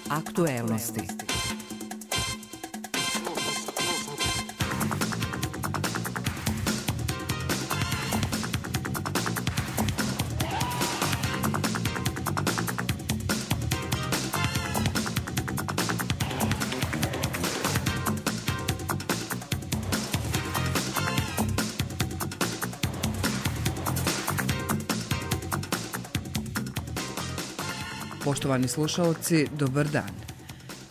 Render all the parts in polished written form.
Aktuelnosti. Poštovani slušaoci, dobar dan.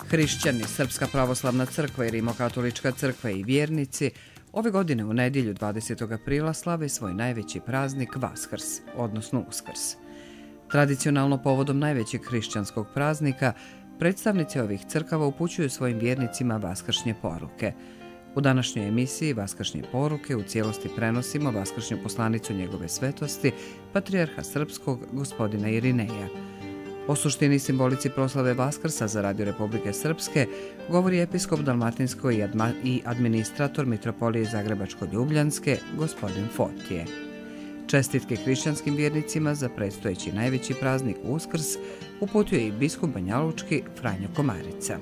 Hrišćani, Srpska pravoslavna crkva i Rimokatolička crkva i vjernici ove godine u nedjelju 20. aprila slave svoj najveći praznik Vaskrs, odnosno Uskrs. Tradicionalno povodom najvećeg hrišćanskog praznika, predstavnici ovih crkava upućuju svojim vjernicima vaskršnje poruke. U današnjoj emisiji Vaskršnje poruke u cijelosti prenosimo vaskršnju poslanicu njegove svetosti, patrijarha srpskog gospodina Irineja. O suštini i simbolici proslave Vaskrsa za Radio Republike Srpske govori episkop Dalmatinsko i administrator Mitropolije Zagrebačko-Ljubljanske, gospodin Fotije. Čestitke hrišćanskim vjernicima za predstojeći najveći praznik Uskrs uputio je i biskup banjalučki Franjo Komarica.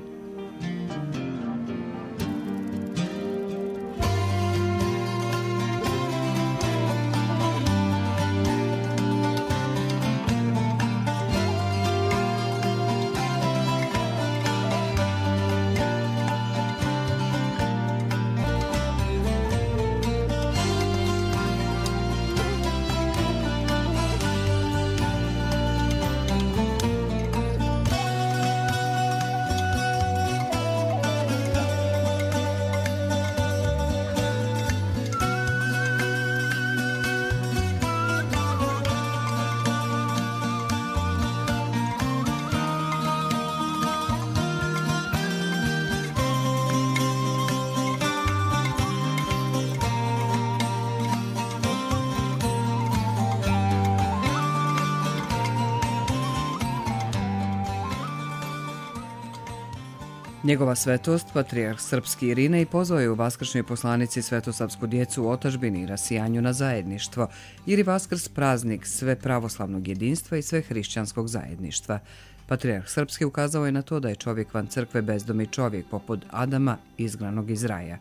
Njegova svetost, patrijarh srpski Irinej, pozvao je u vaskršnjoj poslanici svetosavsku djecu u otadžbini i rasijanju na zajedništvo, jer je Vaskrs praznik sve pravoslavnog jedinstva i sve hrišćanskog zajedništva. Patrijarh srpski ukazao je na to da je čovjek van crkve bezdomi čovjek, poput Adama izgnanog iz raja.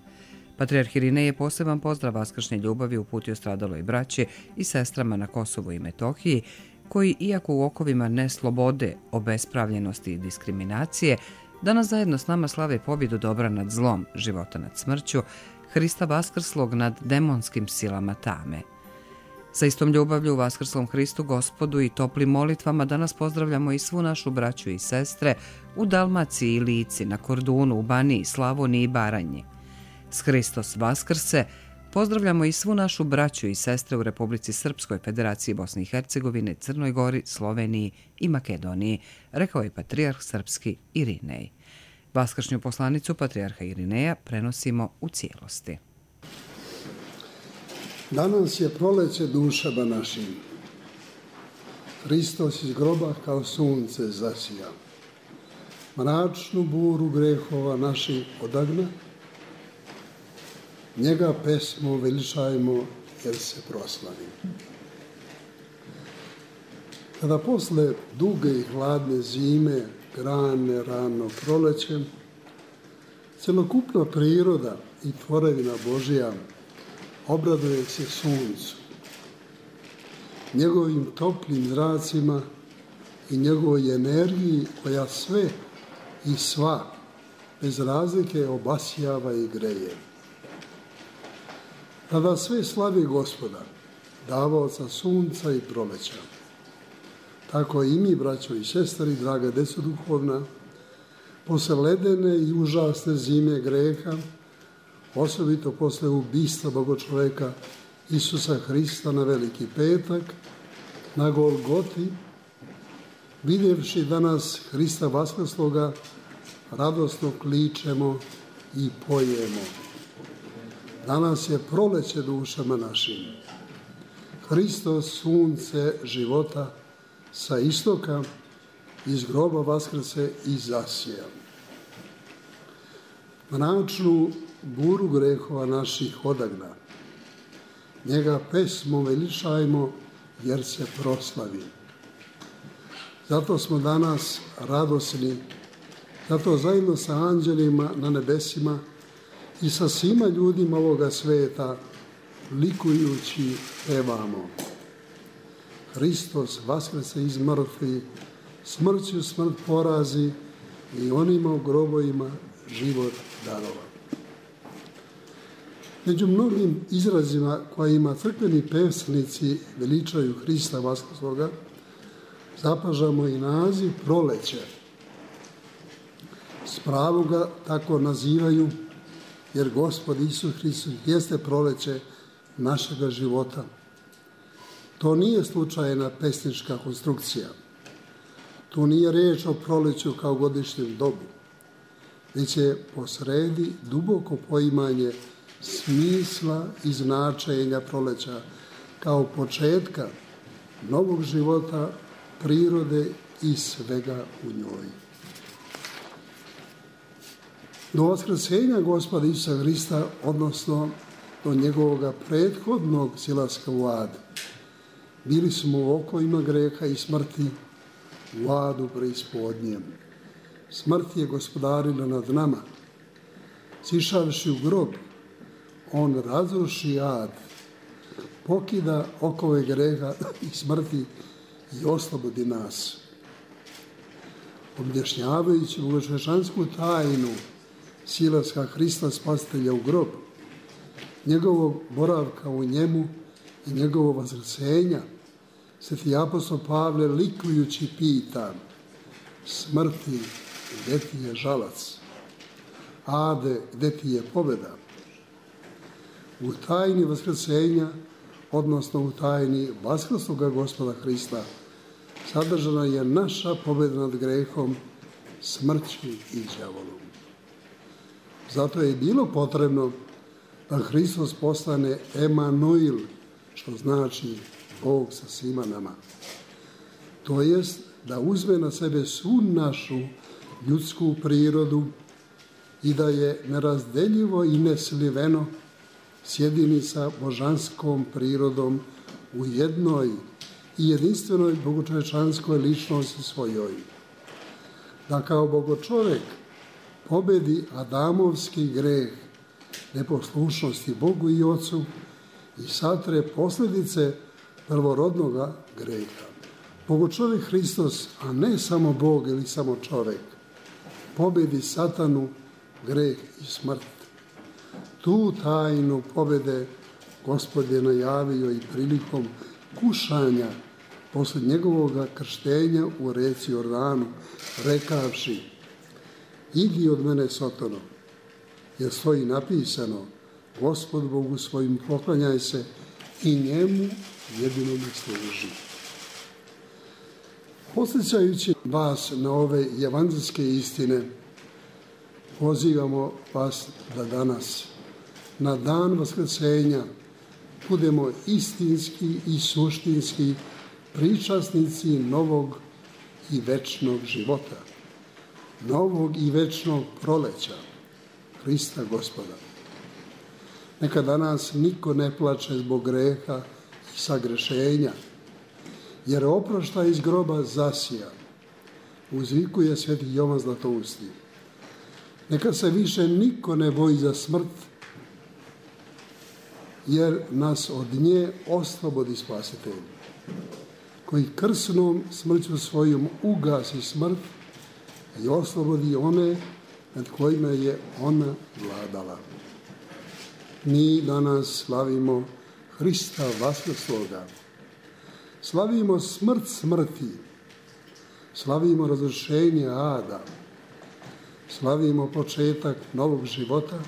Patrijarh Irinej je poseban pozdrav vaskršnje ljubavi uputio stradaloj braći i sestrama na Kosovu i Metohiji, koji, iako u okovima neslobode, obespravljenosti i diskriminacije, danas zajedno s nama slave pobjedu dobra nad zlom, života nad smrću, Hrista vaskrslog nad demonskim silama tame. Sa istom ljubavlju u vaskrslom Hristu Gospodu i toplim molitvama danas pozdravljamo i svu našu braću i sestre u Dalmaciji i Lici, na Kordunu, u Baniji, Slavoniji i Baranji. S Hristos Vaskrse pozdravljamo i svu našu braću i sestre u Republici Srpskoj, Federaciji Bosne i Hercegovine, Crnoj Gori, Sloveniji i Makedoniji, rekao je patrijarh srpski Irinej. Vaskršnju poslanicu patrijarha Irineja prenosimo u cijelosti. Danas je proleće dušama našim. Hristos iz groba kao sunce zasija. Mračnu buru grehova naših odagna. Njega pesmo veličajmo jer se proslavi. Kada posle duge i hladne zime grane rano proleće, celokupna priroda i tvorevina Božija obraduje se suncu, njegovim toplim zracima i njegovoj energiji koja sve i sva bez razlike obasjava i greje. Tada sve slavi Gospoda, davaoca sunca i proleća. Tako i mi, braćo i sestri, draga deco duhovna, posle ledene i užasne zime greha, osobito posle ubistva Bogočoveka Isusa Hrista na Veliki petak, na Golgoti, vidjevši danas Hrista vaskrsloga, radosno kličemo i pojemo. Danas je proleće dušama našim. Hristos, sunce života, sa istoka iz groba vaskrse i zasija. Mračnu buru grehova naših odagna. Njega pesmo veličajmo jer se proslavi. Zato smo danas radosni Zato zajedno sa anđelima na nebesima i sa svima ljudima ovoga sveta likujući pevamo. Hristos vaskrese iz mrtvih, smrću smrt porazi i onima u grobovima život darova. Među mnogim izrazima kojima crkveni pesnici veličaju Hrista vaskrsloga, zapažamo i naziv proleće. S pravom ga tako nazivaju, jer Gospod Isus Hristos jeste proleće našega života. To nije slučajna pesnička konstrukcija. Tu nije riječ o proleću kao godišnjem dobu, već je posredi duboko poimanje smisla i značenja proleća kao početka novog života, prirode i svega u njoj. Do vaskrsenja Gospoda Isusa Hrista, odnosno do njegovog prethodnog silaska u ad, bili smo u okovima greha i smrti, u adu preispodnjem. Smrt je gospodarila nad nama. Sišavši u grob, on razruši ad, pokida okove greha i smrti i oslobodi nas. Objašnjavajući bogočovečansku tajnu silaska Hrista Spasitelja u grob, njegovog boravka u njemu i njegovog vaskrsenja, sveti apostol Pavle likujući pita: smrti, gdje ti je žalac? Ade, gdje ti je pobjeda? U tajni vaskrsenja, odnosno u tajni vaskrsloga Gospoda Hrista, sadržana je naša pobjeda nad grehom, smrću i đavolom. Zato je bilo potrebno da Hristos postane Emanuil, što znači Bog sa svima nama. To jest da uzme na sebe svu našu ljudsku prirodu i da je nerazdeljivo i nesliveno sjedini sa božanskom prirodom u jednoj i jedinstvenoj bogočovečanskoj ličnosti svojoj. Da kao bogočovek pobedi Adamovski greh neposlušnosti Bogu i Ocu i satre posljedice prvorodnoga greha. Bogočovek Hristos, a ne samo Bog ili samo čovek, pobedi satanu, greh i smrt. Tu tajnu pobjede Gospod je najavio i prilikom kušanja poslije njegovog krštenja u reci Jordanu, rekavši: idi od mene, Sotano, jer stoji napisano: Gospod Bogu svojim poklanjaj se i njemu jedinome služi. Podsjećajući vas na ove evanđelske istine, pozivamo vas da danas, na dan vaskrsenja, budemo istinski i suštinski pričasnici novog i večnog života, novog i večnog proleća Hrista Gospoda. Neka danas niko ne plače zbog greha i sagrešenja, jer oproštaj iz groba zasija, uzvikuje sveti Jovan Zlatousti. Neka se više niko ne boji za smrt, jer nas od nje oslobodi Spasitelj, koji krsnom smrću svojom ugasi smrt i oslobodi one nad kojima je ona vladala. Mi danas slavimo Hrista vaskrsloga, slavimo smrt smrti, slavimo razrješenje ada, slavimo početak novog života,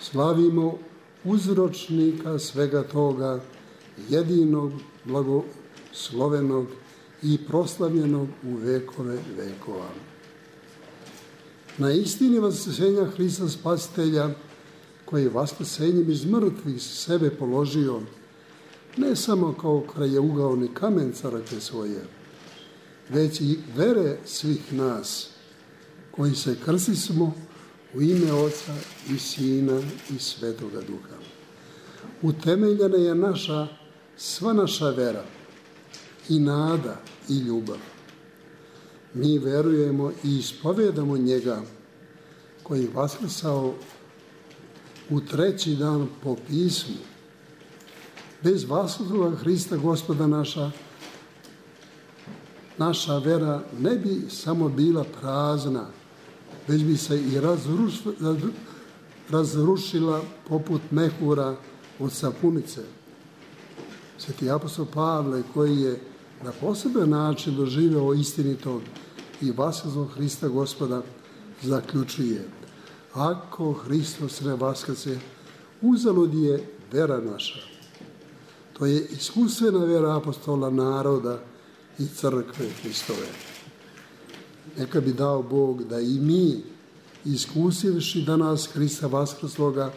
slavimo uzročnika svega toga, jedinog, blagoslovenog i proslavljenog u vekove vekova. Na istini vaskrsenja Hrista Spasitelja, koji je vaskrsenjem iz mrtvih sebe položio, ne samo kao krajeugaoni kamen crkve svoje, već i vere svih nas, koji se krstismo u ime Oca i Sina i Svetoga Duha. Utemeljena je sva naša vera i nada i ljubav. mi verujemo i ispovedamo njega koji je vaskrsao u treći dan po pismu. Bez vaskrsloga Hrista Gospoda naša vera ne bi samo bila prazna, već bi se i razrušila poput mehura od sapunice. Sveti apostol Pavle, koji je na poseban način doživeo istinitog i vaskrslog Hrista Gospoda, zaključuje: ako Hristos ne vaskrse, uzalud je vera naša. To je iskustvena vera apostola, naroda i crkve Hristove. Neka bi dao Bog da i mi, iskusivši danas Hrista vaskrsloga,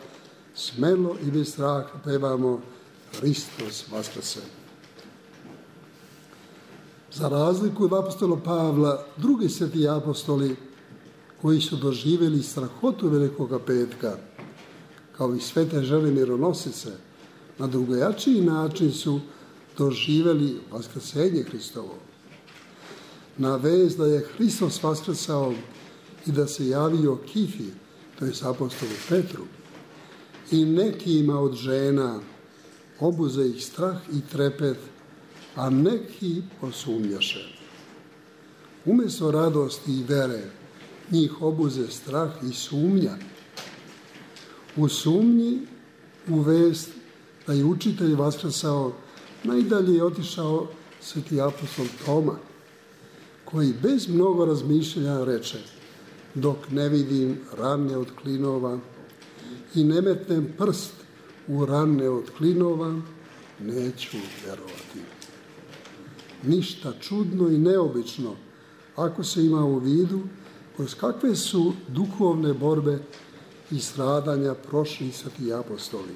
smelo i bez straha pevamo Hristos vaskrse. Za razliku od apostola Pavla, drugi sveti apostoli koji su doživjeli strahotu Velikoga petka, kao i svete žene mironosice, na drugačiji način su doživjeli vaskrsenje Hristovo. Na vest da je Hristos vaskrsao i da se javio Kifi, to je apostolu Petru, i nekima od žena obuze ih strah i trepet, a neki posumnjaše. Umjesto radosti i vere, njih obuze strah i sumnja. U sumnji, u vest da je učitelj vaskrsao, najdalje je otišao sveti apostol Toma, koji bez mnogo razmišljanja reče: dok ne vidim rane od klinova i ne metnem prst u rane od klinova, neću vjerovati. Ništa čudno i neobično ako se ima u vidu kroz kakve su duhovne borbe i stradanja prošli sveti apostoli.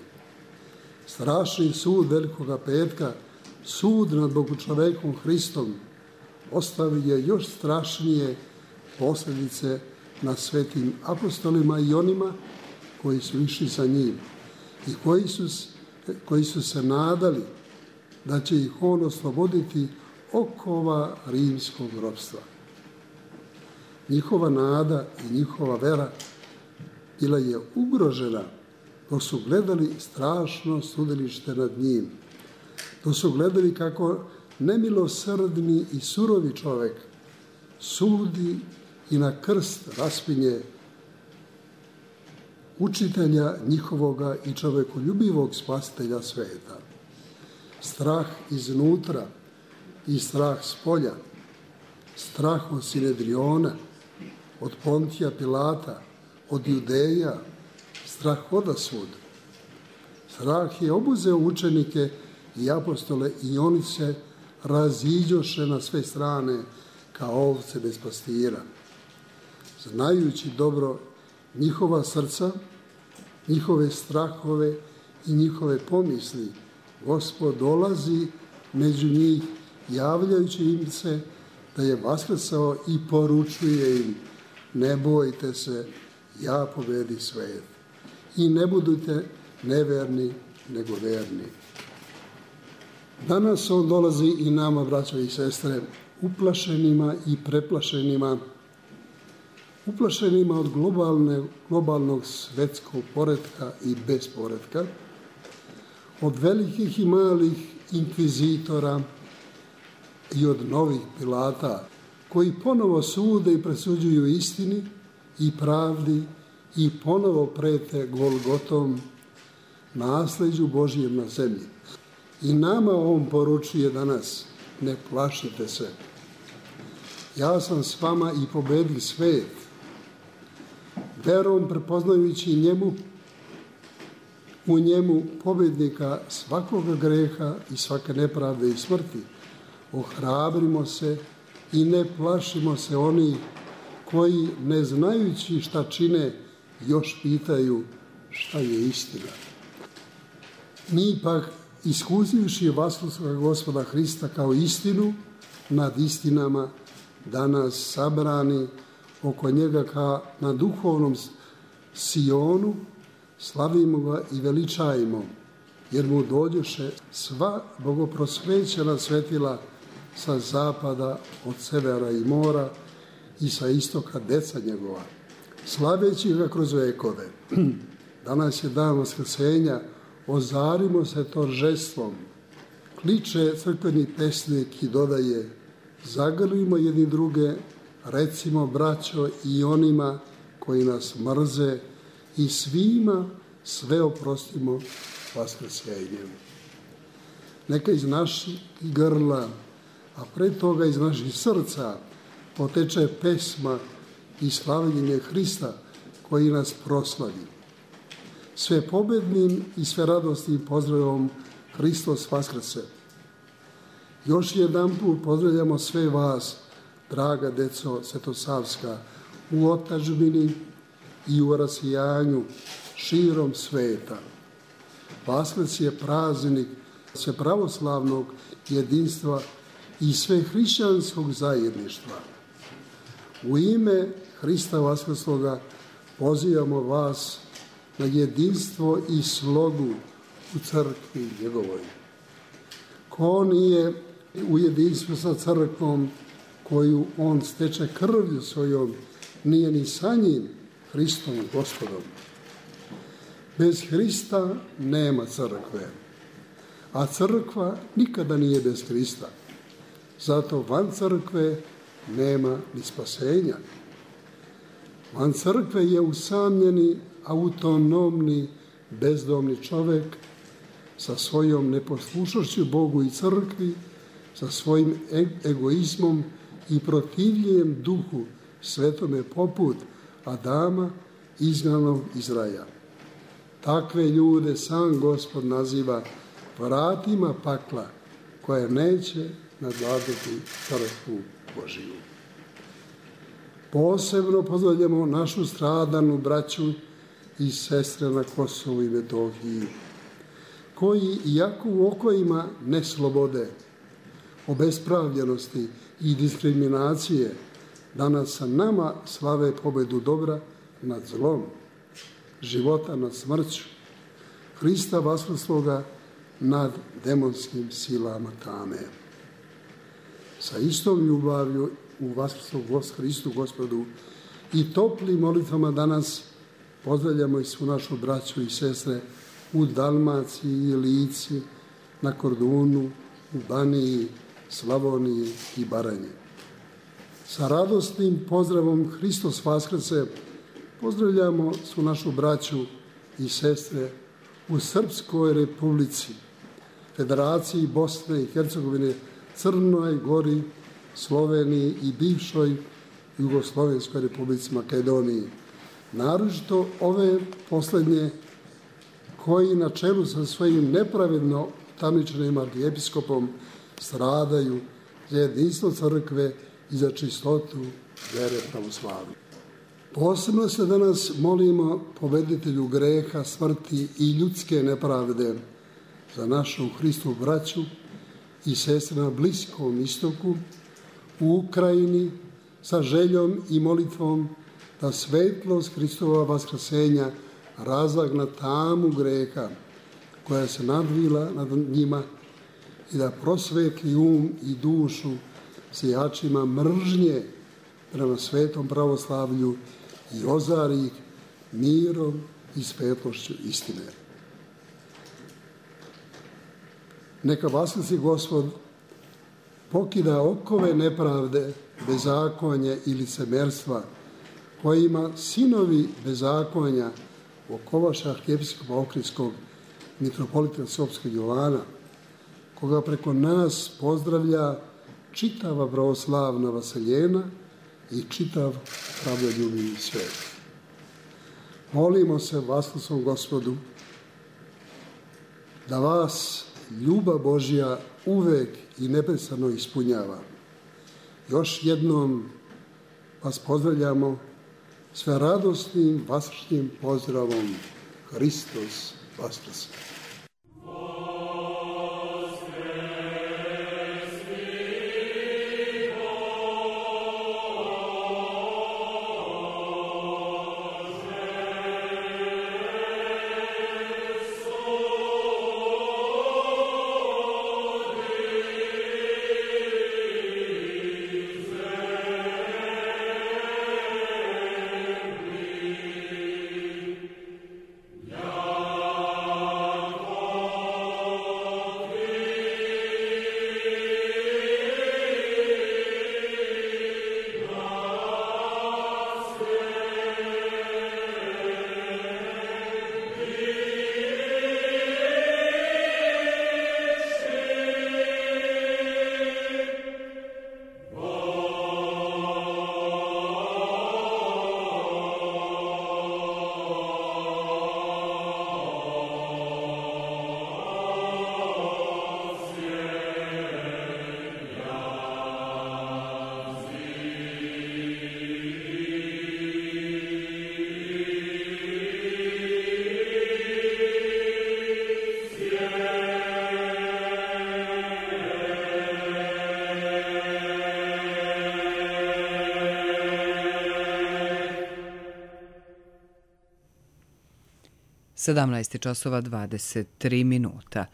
Strašni sud Velikoga petka, sud nad Bogočovekom Hristom, ostavio je još strašnije posljedice na svetim apostolima i onima koji su išli za njim i koji su se nadali da će ih on osloboditi okova rimskog ropstva. Njihova nada i njihova vera bila je ugrožena dok su gledali strašno sudilište nad njim, dok su gledali kako nemilosrdni i surovi čovjek sudi i na krst raspinje učitelja njihovoga i čovjekoljubivog spasitelja sveta. Strah iznutra i strah spolja, strah od Sinedriona, od Pontija Pilata, od Judeja, strah odasvud. Strah je obuzeo učenike i apostole i oni se raziđoše na sve strane kao ovce bez pastira. Znajući dobro njihova srca, njihove strahove i njihove pomisli, Gospod dolazi među njih, javljajući im se da je vaskrsao i poručuje im: ne bojte se, ja pobedi svijet. I ne budite neverni, nego verni. Danas on dolazi i nama, braćo i sestre, uplašenima i preplašenima, uplašenima od globalnog svetskog poretka i besporetka, od velikih i malih inkvizitora i od novih Pilata, koji ponovo sude i presuđuju istini i pravdi i ponovo prete Golgotom, nasljeđu Božjem na zemlji. I nama on poručuje danas: ne plašite se, ja sam s vama i pobedi svijet. Verom prepoznajući u njemu pobjednika svakoga greha i svake nepravde i smrti, ohrabrimo se i ne plašimo se onih koji, ne znajući šta čine, još pitaju šta je istina. Mi pak, iskusivši vaskrslog Gospoda Hrista kao istinu nad istinama, danas sabrani oko njega kao na duhovnom Sionu, slavimo ga i veličajimo, jer mu dođoše sva bogoprosvećena svetila sa zapada, od severa i mora, i sa istoka deca njegova, slaveći ga kroz vekove. Danas je dan Vaskrsenja, ozarimo se торжеством. Kliče crkveni pesnik i dodaje, zagrlimo jedni druge, recimo braćo i onima koji nas mrze i svima sve oprostimo Vaskrsenjem. Neka iz naših grla, a pre toga iz naših srca, poteče pesma i slavljenje Hrista koji nas proslavi. Sve pobednim i sve radosnim pozdravom Hristos Vaskrse. Još jedanput pozdravljamo sve vas, draga deco svetosavska, u otadžbini i u rasijanju širom sveta. Vaskrs je praznik sve pravoslavnog jedinstva i sve hrišćanskog zajedništva. U ime Hrista Vaskrsloga pozivamo vas na jedinstvo i slogu u crkvi njegovoj. Ko nije u jedinstvu sa crkvom koju on steče krvlju svojom, nije ni sa njim, Hristom Gospodom. Bez Hrista nema crkve, a crkva nikada nije bez Hrista. Zato van crkve nema ni spasenja. Van crkve je usamljeni, autonomni, bezdomni čovek sa svojom neposlušnošću Bogu i crkvi, sa svojim egoizmom i protivljenjem duhu svetome poput Adama, izgnanog iz raja. Takve ljude sam Gospod naziva vratima pakla, koje neće nadvladati crkvu Božiju. Posebno pozdravljamo našu stradanu braću i sestre na Kosovu i Metohiji, koji, iako u okojima neslobode, obespravljenosti i diskriminacije, danas sa nama slave pobedu dobra nad zlom, života nad smrću, Hrista Vaskrsloga nad demonskim silama tame. Sa istom ljubavlju u Vaskrslog Hristu Gospodu i toplim molitvama danas pozdravljamo i svu našu braću i sestre u Dalmaciji i Lici, na Kordunu, u Baniji, Slavoniji i Baranji. Sa radosnim pozdravom Hristos Vaskrse pozdravljamo svu našu braću i sestre u Srpskoj Republici, Federaciji Bosne i Hercegovine, Crnoj Gori, Sloveniji i bivšoj Jugoslovenskoj Republici Makedoniji. Naročito ove poslednje koji na čelu sa svojim nepravedno tamničanim arhijepiskopom stradaju za jedinstvo crkve i za čistotu vere pravoslavne. Posebno se danas molimo pobeditelju greha, smrti i ljudske nepravde za našu Hristu braću i sestre na Bliskom istoku, u Ukrajini, sa željom i molitvom da svetlost Hristova vaskrsenja razagna tamu greha koja se nadvila nad njima i da prosvetli i dušu sijačima mržnje prema svetom pravoslavlju i ozari ih mirom i svetlošću istine. Neka Vaskrsi Gospod pokida okove nepravde, bezakonja i licemerstva kojima sinovi bezakonja okovaše arhijepiskopa Ohridskog mitropolita Sopskog Jovana, koga preko nas pozdravlja čitava pravoslavna vaseljena i čitav pravdoljubivi svet. Molimo se Vaskrskom Gospodu da vas ljubav Božja uvek i neprestano ispunjava. Još jednom vas pozdravljamo sve radosnim vaskršnjim pozdravom Hristos Vaskrse. 17:23.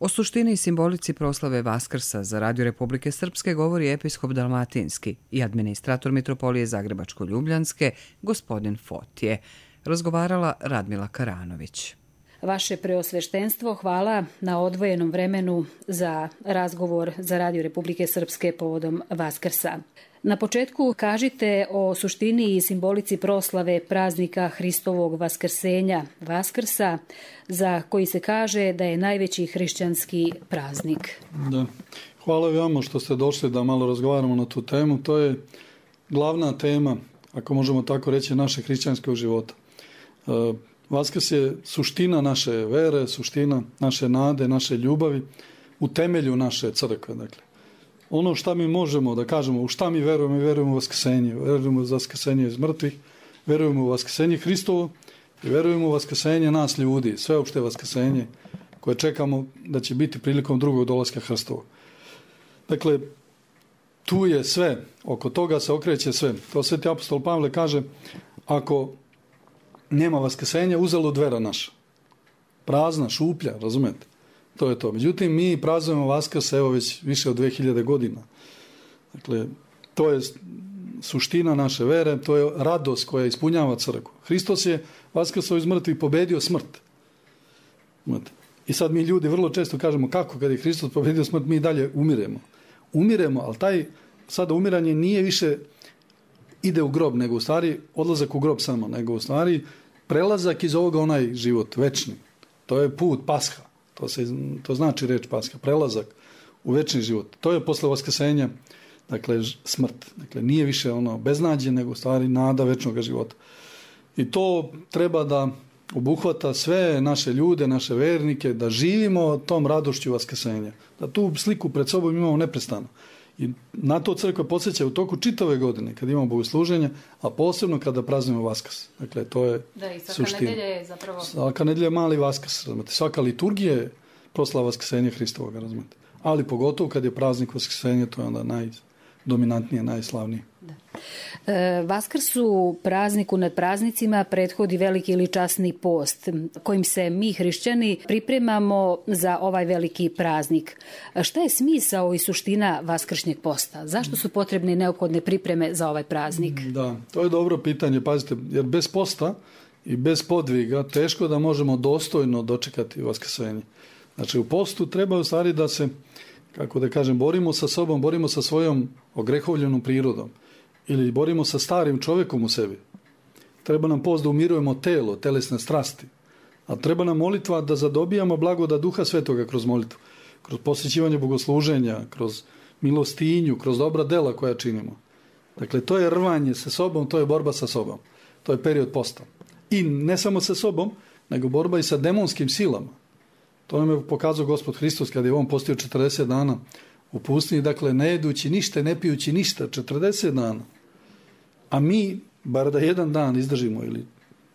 O suštini i simbolici proslave Vaskrsa za Radio Republike Srpske govori episkop Dalmatinski i administrator Mitropolije Zagrebačko-Ljubljanske, gospodin Fotije. Razgovarala Radmila Karanović. Vaše preosveštenstvo, hvala na odvojenom vremenu za razgovor za Radio Republike Srpske povodom Vaskrsa. Na početku kažite o suštini i simbolici proslave praznika Hristovog vaskrsenja, Vaskrsa, za koji se kaže da je najveći hrišćanski praznik. Da. Hvala vama što ste došli da malo razgovaramo na tu temu. To je glavna tema, ako možemo tako reći, našeg hrišćanskog života. Vaskrs je suština naše vere, suština naše nade, naše ljubavi, u temelju naše crkve. Dakle, ono šta mi možemo da kažemo, u šta mi verujemo u vaskrsenje. Verujemo u vaskrsenje iz mrtvih, verujemo u vaskrsenje Hristovo i verujemo u vaskrsenje nas ljudi, sveopšte vaskrsenje koje čekamo da će biti prilikom drugog dolaska Hristovog. Dakle, tu je sve, oko toga se okreće sve. To sveti apostol Pavle kaže, ako nema vaskrsenja, uzalud vera naša. Prazna, šuplja, razumete? To je to. Međutim, mi praznujemo Vaskrs evo već više od 2000 godina. Dakle, to je suština naše vere, to je radost koja ispunjava crkvu. Hristos je vaskrso iz mrtvih pobedio smrt. I sad mi ljudi vrlo često kažemo kako kad je Hristos pobedio smrt, mi dalje umiremo. Umiremo, ali taj sada umiranje nije više ide u grob, nego u stvari odlazak u grob samo, nego u stvari prelazak iz ovoga onaj život, večni. To je put Pasha. To znači reč Pasha, prelazak u večni život. To je posle vaskrsenja, dakle, smrt. Dakle, nije više ono beznađe, nego u stvari nada večnog života. I to treba da obuhvata sve naše ljude, naše vernike, da živimo tom radošću vaskrsenja. Da tu sliku pred sobom imamo neprestano. I na to crkva podsjeća u toku čitave godine, kad imamo bogosluženja, a posebno kada praznimo Vaskrs. Dakle, to je suština. Nedelja je zapravo... Svaka nedelja je mali Vaskrs, razumete. Svaka liturgija je proslava vaskrsenja Hristovog, razumete. Ali pogotovo kad je praznik vaskrsenja, to je onda najdominantnije, najslavnije. Da. Vaskrsu, prazniku nad praznicima, prethodi veliki ili časni post, kojim se mi hrišćani pripremamo za ovaj veliki praznik. Šta je smisao i suština vaskršnjeg posta? Zašto su potrebne i neophodne pripreme za ovaj praznik? Da, to je dobro pitanje, pazite, jer bez posta i bez podviga teško da možemo dostojno dočekati vaskrsenje. Znači, u postu treba u stvari da se, kako da kažem, borimo sa sobom, borimo sa svojom ogrehovljenom prirodom. Ili borimo sa starim čovjekom u sebi. Treba nam post da umirujemo telo, telesne strasti. A treba nam molitva da zadobijamo blagodat Duha Svetoga kroz molitvu. Kroz posjećivanje bogosluženja, kroz milostinju, kroz dobra dela koja činimo. Dakle, to je rvanje sa sobom, to je borba sa sobom. To je period posta. I ne samo sa sobom, nego borba i sa demonskim silama. To nam je pokazao Gospod Hristos kada je on postio 40 dana u pustinji, dakle, ne jedući ništa, ne pijući ništa, 40 dana. A mi, bar da jedan dan izdržimo, ili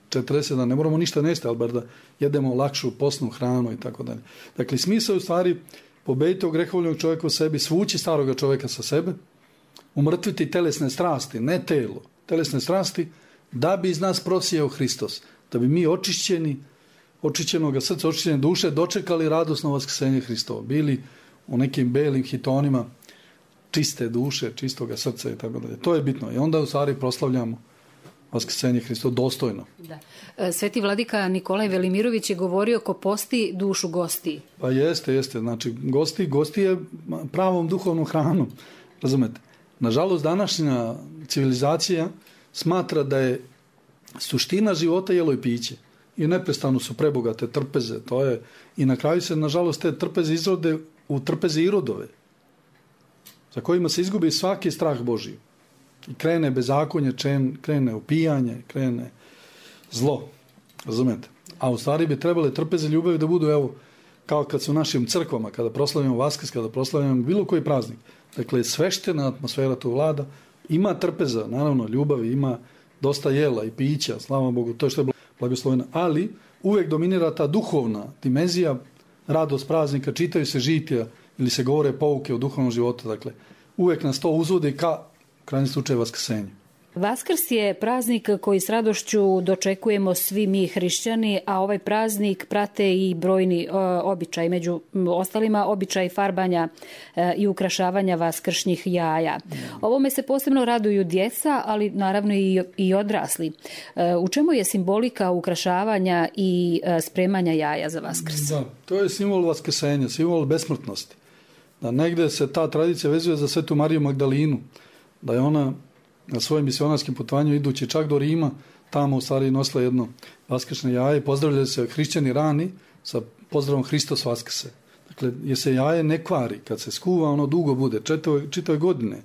40 dana, ne moramo ništa nesti, ali bar da jedemo lakšu posnu hranu i tako dalje. Dakle, smisao je u stvari pobediti ogrehovljenog čovjeka u sebi, svući staroga čovjeka sa sebe, umrtviti telesne strasti, ne telo, telesne strasti, da bi iz nas prosijao Hristos, da bi mi očišćenoga srca, očišćene duše dočekali radosno vaskrsenje Hristova, bili u nekim belim hitonima čiste duše, čistoga srca i tako dalje. To je bitno. I onda u stvari proslavljamo vaskrsenje Hristova dostojno. Da. Sveti vladika Nikolaj Velimirović je govorio ko posti dušu gosti. Pa jeste. Znači, gosti je pravom duhovnom hranom. Razumete? Nažalost, današnja civilizacija smatra da je suština života jelo i piće. I neprestano su prebogate trpeze. To je, i na kraju se, nažalost, te trpeze izrode u trpeze irodove, za kojima se izgubi svaki strah Božji. I krene bezakonje, krene upijanje, krene zlo. Razumete? A u stvari bi trebale trpeze ljubavi da budu, evo, kao kad su u našim crkvama, kada proslavimo Vaskrs, kada proslavimo bilo koji praznik. Dakle, sveštena atmosfera tu vlada, ima trpeza, naravno, ljubavi, ima dosta jela i pića, slava Bogu, to je što je blagosloveno, ali uvijek dominira ta duhovna dimenzija, radost praznika, čitaju se žitija ili se govore pouke o duhovnom životu, dakle, uvijek nas to uzvodi ka krajnjem slučaju vaskrsenju. Vaskrs je praznik koji s radošću dočekujemo svi mi hrišćani, a ovaj praznik prate i brojni običaj, među ostalima običaj farbanja i ukrašavanja vaskršnjih jaja. Ovome se posebno raduju djeca, ali naravno i odrasli. U čemu je simbolika ukrašavanja i spremanja jaja za Vaskrs? Da, to je simbol vaskrsenja, simbol besmrtnosti. Da negdje se ta tradicija vezuje za Svetu Mariju Magdalinu, da je ona na svojim misionarskim putovanju idući čak do Rima, tamo u stvari nosila jedno vaskršnje jaje i pozdravljaju se hrišćani rani sa pozdravom Hristos Vaskrse. Dakle, jer se jaje ne kvari, kad se skuva ono dugo bude, čitave godine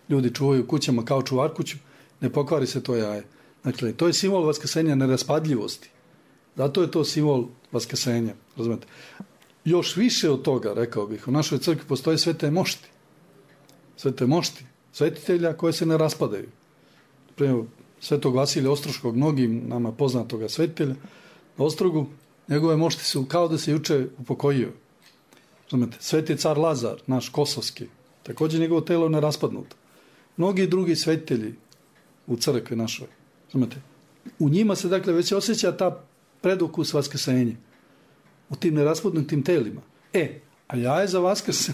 ljudi čuvaju kućama kao čuvar kuću, ne pokvari se to jaje. Dakle, to je simbol vaskrsenja neraspadljivosti. Zato je to simbol vaskrsenja, razumete. Još više od toga, rekao bih, u našoj crkvi postoje svete mošti. Svete mošti, svetitelja koje se ne raspadaju. Primjer, svetog Vasilija Ostroškog, mnogim nama poznatoga svetitelja, na Ostrogu, njegove mošti su kao da se juče upokojio. Razumete, sveti car Lazar, naš kosovski, također njegovo telo ne raspadnuto. Mnogi drugi svetitelji u crkvi našoj, razumete, u njima se dakle već osjeća ta predukus vaskrsenja u tim neraspadnutim telima. A jaje za Vaskrs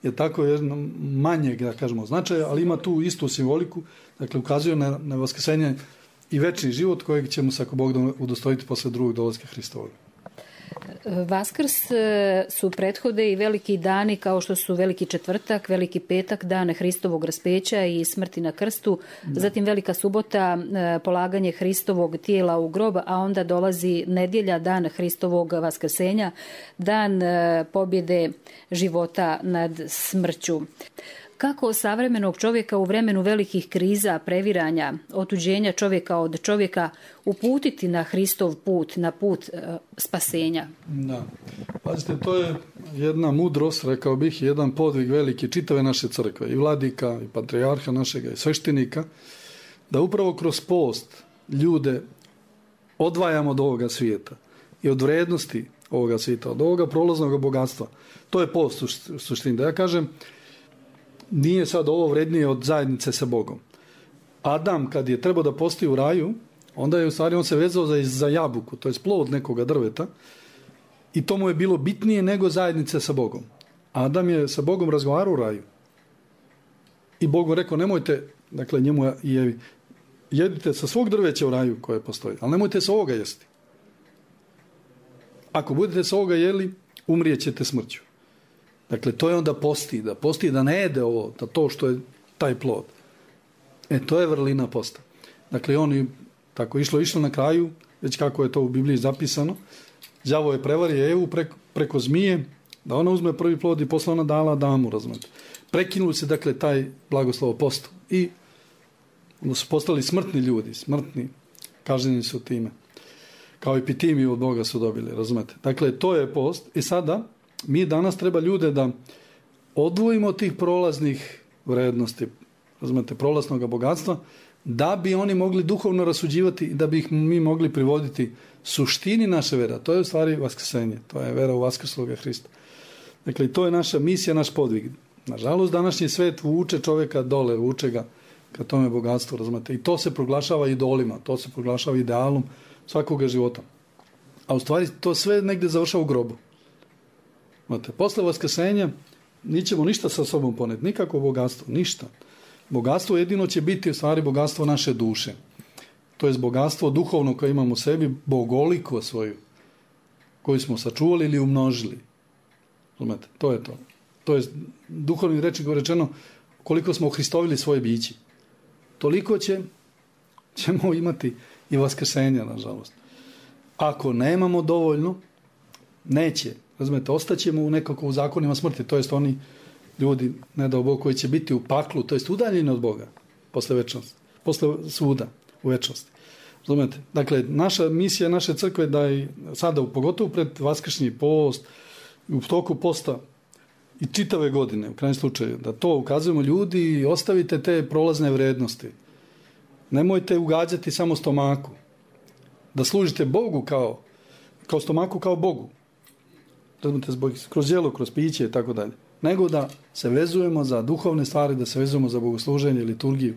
je tako jedno manjeg, da kažemo, značaja, ali ima tu istu simboliku, dakle ukazuje na vaskrsenje i večni život kojeg ćemo se, ako Bog da, udostojiti posle drugog dolaska Hristovog. Vaskrs su prethode i veliki dani kao što su Veliki četvrtak, Veliki petak, dan Hristovog raspeća i smrti na krstu, zatim Velika subota, polaganje Hristovog tijela u grob, a onda dolazi nedjelja, dan Hristovog vaskrsenja, dan pobjede života nad smrću. Kako savremenog čovjeka u vremenu velikih kriza, previranja, otuđenja čovjeka od čovjeka uputiti na Hristov put, na put spasenja? Da. Pazite, to je jedna mudrost, rekao bih, jedan podvig veliki čitave naše crkve, i vladika, i patrijarha našega, i sveštenika, da upravo kroz post ljude odvajamo od ovoga svijeta i od vrednosti ovoga svijeta, od ovoga prolaznog bogatstva. To je post u suštini. Da ja kažem, nije sad ovo vrednije od zajednice sa Bogom. Adam, kad je trebao da postoji u raju, onda je u stvari on se vezao za jabuku, to je plod nekoga drveta, i to mu je bilo bitnije nego zajednice sa Bogom. Adam je sa Bogom razgovarao u raju. I Bog mu rekao, nemojte, dakle njemu i Evi, jedite sa svog drveća u raju koje postoji, ali nemojte sa ovoga jesti. Ako budete sa ovoga jeli, umrijećete smrću. Dakle, to je onda posti, da ne jede ovo, da to što je taj plod. To je vrlina posta. Dakle, oni tako išlo na kraju, već kako je to u Bibliji zapisano, đavo je prevario Evu preko zmije, da ona uzme prvi plod i posle ona dala Adamu, razumete. Prekinuli se, dakle, taj blagoslovo postu. I onda su postali smrtni ljudi, kažnjeni su time. Kao epitimiju od Boga su dobili, razumete. Dakle, to je post. I sada mi danas treba ljude da odvojimo od tih prolaznih vrednosti, razumete, prolaznog bogatstva, da bi oni mogli duhovno rasuđivati i da bi ih mi mogli privoditi suštini naše vera. To je u stvari vaskrsenje, to je vera u vaskrsloga Hrista. Dakle, to je naša misija, naš podvig. Nažalost, današnji svet vuče čovjeka dole, vuče ga ka tome bogatstvu, razumete. I to se proglašava idolima, to se proglašava idealom svakoga života. A u stvari to sve negdje završava u grobu. Posle vaskrsenja nećemo ništa sa sobom poneti, nikakvo bogatstvo, ništa. Bogatstvo jedino će biti u stvari bogatstvo naše duše. To je bogatstvo duhovno koje imamo u sebi, bogoliko svoju, koju smo sačuvali ili umnožili. Razumete? To je to. To je duhovnim rečnikom rečeno, koliko smo ohristovili svoje biće. Toliko ćemo imati i vaskrsenja, nažalost. Ako nemamo dovoljno, neće. Razumete, ostaćemo nekako u zakonima smrti, to jest oni ljudi, ne dao Bog, koji će biti u paklu, to jest udaljeni od Boga posle večnosti, posle suda u večnosti. Razumete? Dakle, naša misija, naše crkve da i sada, pogotovo pred vaskršnji post, u toku posta i čitave godine, u krajnjem slučaju, da to ukazujemo ljudi i ostavite te prolazne vrednosti. Nemojte ugađati samo stomaku. Da služite Bogu kao stomaku, kao Bogu. Razumete, kroz jelo, kroz piće i tako dalje. Nego da se vezujemo za duhovne stvari, da se vezujemo za bogosluženje, liturgiju.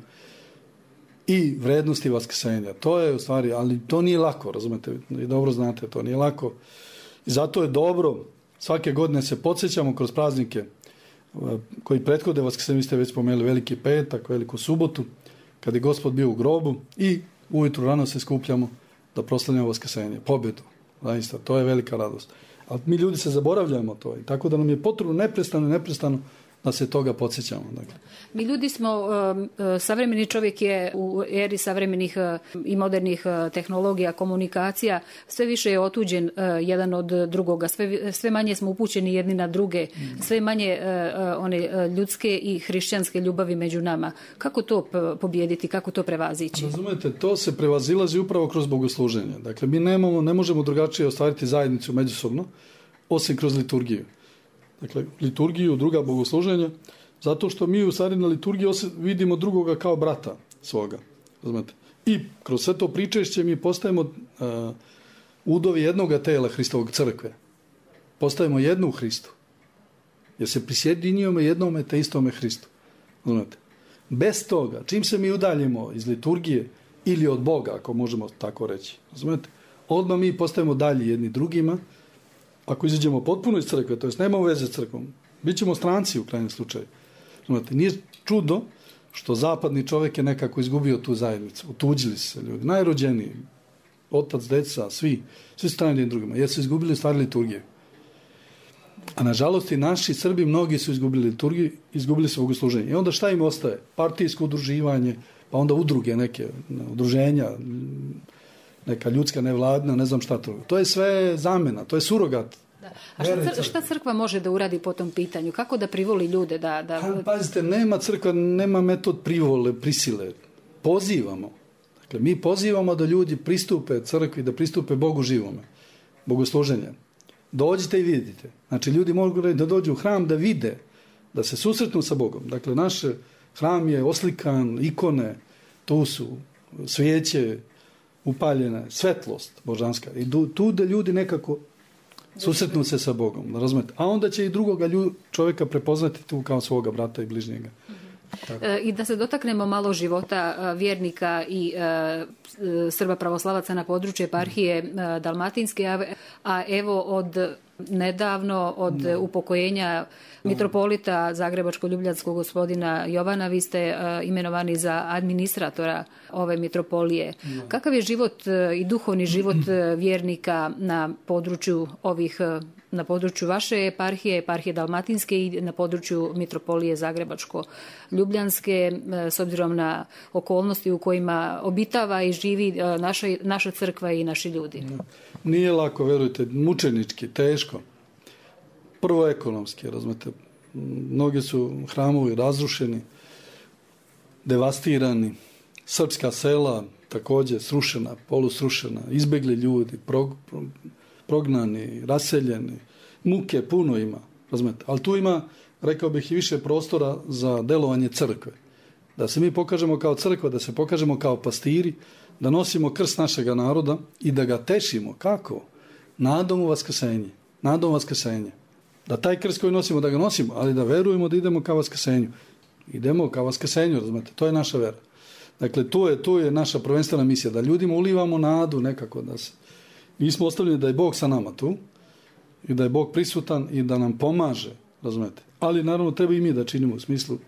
i vrednosti vaskrsenja. To je u stvari, ali to nije lako, razumete, i dobro znate, to nije lako. I zato je dobro, svake godine se podsjećamo kroz praznike koji prethode vaskrsenju, vi ste već spomenuli Veliki petak, Veliku subotu, kad je Gospod bio u grobu i ujutru rano se skupljamo da proslavljamo vaskrsenje, pobjedu. Zaista, to je velika radost. Ali mi ljudi se zaboravljamo to, i tako da nam je potrebno neprestano da se toga podsjećamo. Dakle. Mi ljudi smo, savremeni čovjek je u eri savremenih i modernih tehnologija, komunikacija, sve više je otuđen jedan od drugoga, sve manje smo upućeni jedni na druge, sve manje one ljudske i hrišćanske ljubavi među nama. Kako to pobijediti, kako to prevazići? Razumete, to se prevazilazi upravo kroz bogosluženje. Dakle, mi ne možemo drugačije ostvariti zajednicu međusobno, osim kroz liturgiju. Dakle, liturgiju, druga bogosluženja, zato što mi u stvari na liturgiji vidimo drugoga kao brata svoga. Razumete? I kroz sve to pričešće mi postajemo udovi jednoga tela Hristovog crkve. Postajemo jednu u Hristu. Jer se prisjedinjujemo jednome te istome Hristu. Razumete? Bez toga, čim se mi udaljimo iz liturgije ili od Boga, ako možemo tako reći, razumete? Odmah mi postajemo dalji jedni drugima. Ako izađemo potpuno iz crkve, to jest nemamo veze s crkvom, bit ćemo stranci u krajnjem slučaju. Znate, nije čudo što zapadni čovjek je nekako izgubio tu zajednicu. Otuđili se ljudi, najrođeniji, otac, deca, svi strani jednim drugima, jer su izgubili stvari liturgije. A nažalost i naši Srbi, mnogi su izgubili liturgiju, izgubili su bogosluženje. I onda šta im ostaje? Partijsko udruživanje, pa onda udruge neke, udruženja, neka ljudska nevladna, ne znam šta to. To je sve zamena, to je surogat. Da. A šta crkva može da uradi po tom pitanju? Kako da privoli ljude? Pazite, nema crkva, nema metod privole, prisile. Pozivamo. Dakle, mi pozivamo da ljudi pristupe crkvi, da pristupe Bogu živome. Bogosluženje. Dođite i vidite. Znači, ljudi mogu da dođu u hram da vide, da se susretnu sa Bogom. Dakle, naš hram je oslikan, ikone, tu su svijeće, upaljena svetlost božanska. I tu da ljudi nekako susretnu se sa Bogom. Razumete? A onda će i drugoga čovjeka prepoznati tu kao svoga brata i bližnjega. I da se dotaknemo malo života vjernika i Srba pravoslavaca na području eparhije Dalmatinske, a evo od nedavno, od upokojenja mitropolita Zagrebačko-Ljubljanskog gospodina Jovana, vi ste imenovani za administratora ove mitropolije. Kakav je život i duhovni život vjernika na području na području vaše eparhije, eparhije Dalmatinske i na području mitropolije Zagrebačko-Ljubljanske, s obzirom na okolnosti u kojima obitava i živi naša crkva i naši ljudi? Nije lako, verujte, mučenički, teško. Prvo ekonomski, razumete. Mnogi su hramovi razrušeni, devastirani, srpska sela također srušena, polusrušena, izbjegli ljudi, prognani, raseljeni, muke puno ima, razumete. Ali tu ima, rekao bih, i više prostora za delovanje crkve. Da se mi pokažemo kao crkva, da se pokažemo kao pastiri, da nosimo krst našega naroda i da ga tešimo. Kako? Nadom u vaskrsenje. Nadom vaskrsenje. Da taj krst koji nosimo, da ga nosimo, ali da verujemo da idemo ka vaskrsenju. Idemo ka vaskrsenju, razumete. To je naša vera. Dakle, tu je naša prvenstvena misija, da ljudima ulivamo nadu nekako, da se... Mi smo ostavljeni da je Bog sa nama tu i da je Bog prisutan i da nam pomaže, razumete. Ali naravno treba i mi da činimo u smislu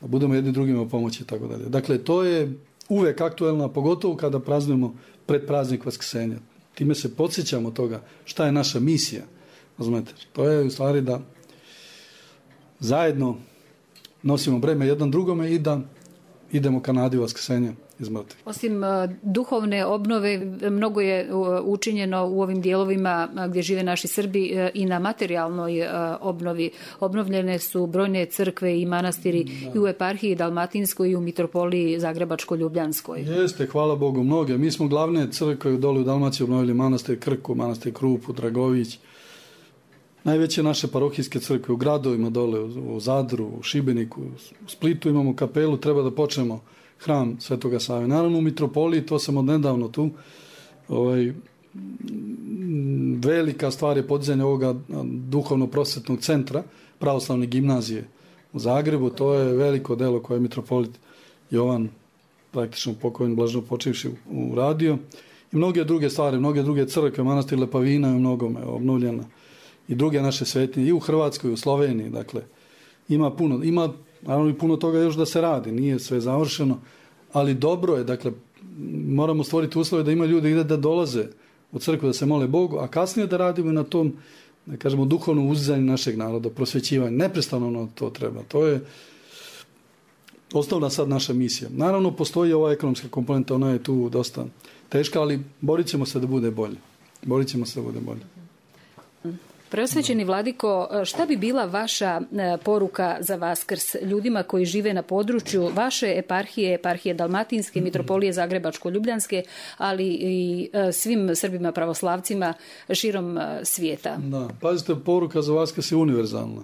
da budemo jedni drugima pomoći i tako dalje. Dakle, to je uvek aktuelno, pogotovo kada praznujemo pred praznik Vaskrsenja. Time se podsjećamo toga šta je naša misija, razumete. To je u stvari da zajedno nosimo breme jedan drugome i da idemo ka nadi Vaskrsenja iz mrtvih. Osim duhovne obnove, mnogo je učinjeno u ovim dijelovima gdje žive naši Srbi i na materijalnoj obnovi. Obnovljene su brojne crkve i manastiri i u eparhiji Dalmatinskoj i u mitropoliji Zagrebačko-Ljubljanskoj. Jeste, hvala Bogu, mnoge. Mi smo glavne crkve dole u Dalmaciji obnovili manastir Krku, manastir Krupu, Dragović. Najveće naše parohijske crkve u gradovima dole, u Zadru, u Šibeniku, u Splitu imamo kapelu, treba da počnemo hram Svetoga Save. Naravno u mitropoliji, to sam od nedavno tu, velika stvar je podizanje ovoga duhovno-prosvetnog centra, pravoslavne gimnazije u Zagrebu. To je veliko delo koje je mitropolit Jovan praktično pokojni blaženo počivši uradio. I mnoge druge stvari, mnoge druge crkve, manastir Lepavina je u mnogome obnovljena. I druge naše svetinje, i u Hrvatskoj, i u Sloveniji, dakle, ima naravno i puno toga još da se radi, nije sve završeno, ali dobro je, dakle, moramo stvoriti uslove da ima ljudi da dolaze u crkvu, da se mole Bogu, a kasnije da radimo na tom, da kažemo, duhovnom uzdizanju našeg naroda, prosvećivanju. Neprestano nam to treba. To je osnovna sad naša misija. Naravno, postoji ova ekonomska komponenta, ona je tu dosta teška, ali borit ćemo se da bude bolje. Preosvećeni vladiko, šta bi bila vaša poruka za Vaskrs ljudima koji žive na području vaše eparhije, eparhije Dalmatinske, Mitropolije Zagrebačko-Ljubljanske, ali i svim Srbima pravoslavcima širom svijeta? Da, pazite, poruka za Vaskrs je univerzalna.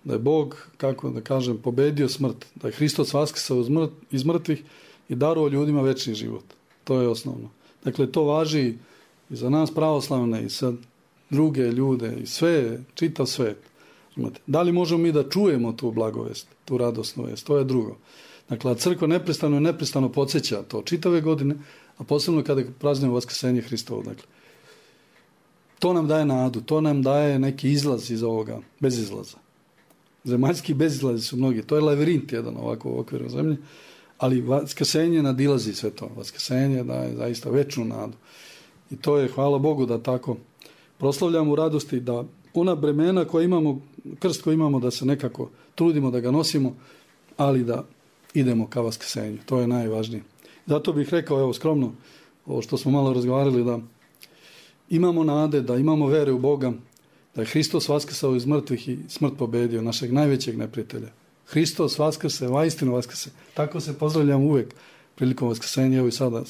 Da je Bog, kako da kažem, pobedio smrt. Da je Hristos vaskrsao iz mrtvih i darovao ljudima večni život. To je osnovno. Dakle, to važi i za nas pravoslavne i sad druge ljude i sve, čitav svet. Da li možemo mi da čujemo tu blagovest, tu radosnu vest, to je drugo. Dakle, crkva neprestano podsjeća to čitave godine, a posebno kada praznujemo vaskrsenje Hristovo. Dakle, to nam daje nadu, to nam daje neki izlaz iz ovoga bezizlaza. Zemaljski bezizlazi su mnogi, to je lavirint jedan ovako u okviru zemlje, ali vaskrsenje nadilazi sve to. Vaskrsenje daje zaista večnu nadu. I to je, hvala Bogu, da tako proslavljamo u radosti, da ona bremena koja imamo, krst koji imamo, da se nekako trudimo da ga nosimo, ali da idemo ka vaskrsenju. To je najvažnije. Zato bih rekao, evo skromno, ovo što smo malo razgovarali, da imamo nade, da imamo vere u Boga, da je Hristos vaskrsao iz mrtvih i smrt pobedio, našeg najvećeg neprijatelja. Hristos vaskrse, vaistinu vaskrse. Tako se pozdravljamo uvek prilikom vaskrsenja, evo i sada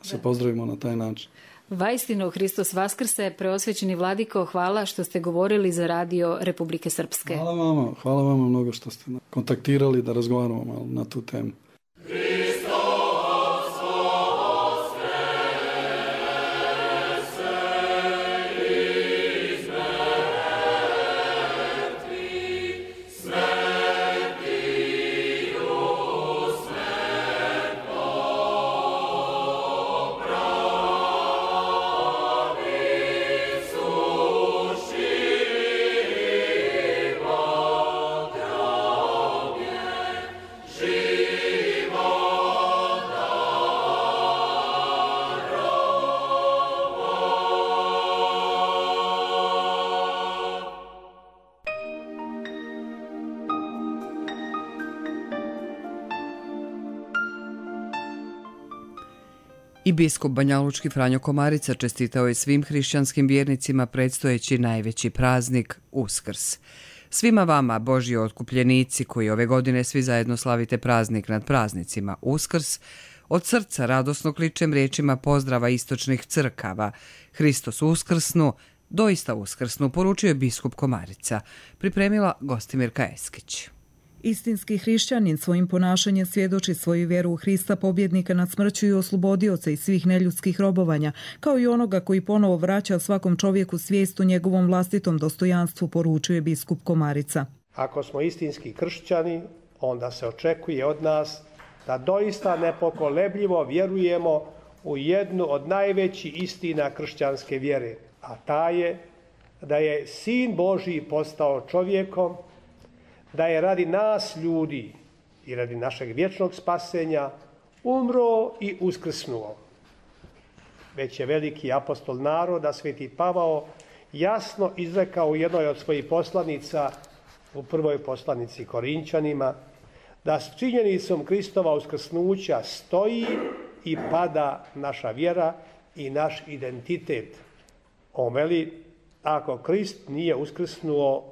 se pozdravimo na taj način. Vaistinu Hristos vaskrse, preosvećeni vladiko, hvala što ste govorili za radio Republike Srpske. Hvala vama mnogo što ste kontaktirali da razgovaramo malo na tu temu. I biskup banjalučki Franjo Komarica čestitao je svim hrišćanskim vjernicima predstojeći najveći praznik Uskrs. Svima vama, Božji otkupljenici, koji ove godine svi zajedno slavite praznik nad praznicima Uskrs, od srca radosno kličem riječima pozdrava istočnih crkava. Hristos uskrsnu, doista uskrsnu, poručio je biskup Komarica. Pripremila Gostimirka Eskić. Istinski hrišćanin svojim ponašanjem svjedoči svoju vjeru u Hrista, pobjednika nad smrću i oslobodioca iz svih neljudskih robovanja, kao i onoga koji ponovo vraća svakom čovjeku svijest o njegovom vlastitom dostojanstvu, poručuje biskup Komarica. Ako smo istinski kršćani, onda se očekuje od nas da doista nepokolebljivo vjerujemo u jednu od najvećih istina kršćanske vjere, a ta je da je Sin Božji postao čovjekom, da je radi nas ljudi i radi našeg vječnog spasenja umro i uskrsnuo. Već je veliki apostol naroda, Sveti Pavao, jasno izrekao u jednoj od svojih poslanica, u prvoj poslanici Korinčanima, da s činjenicom Kristova uskrsnuća stoji i pada naša vjera i naš identitet. On veli, ako Krist nije uskrsnuo,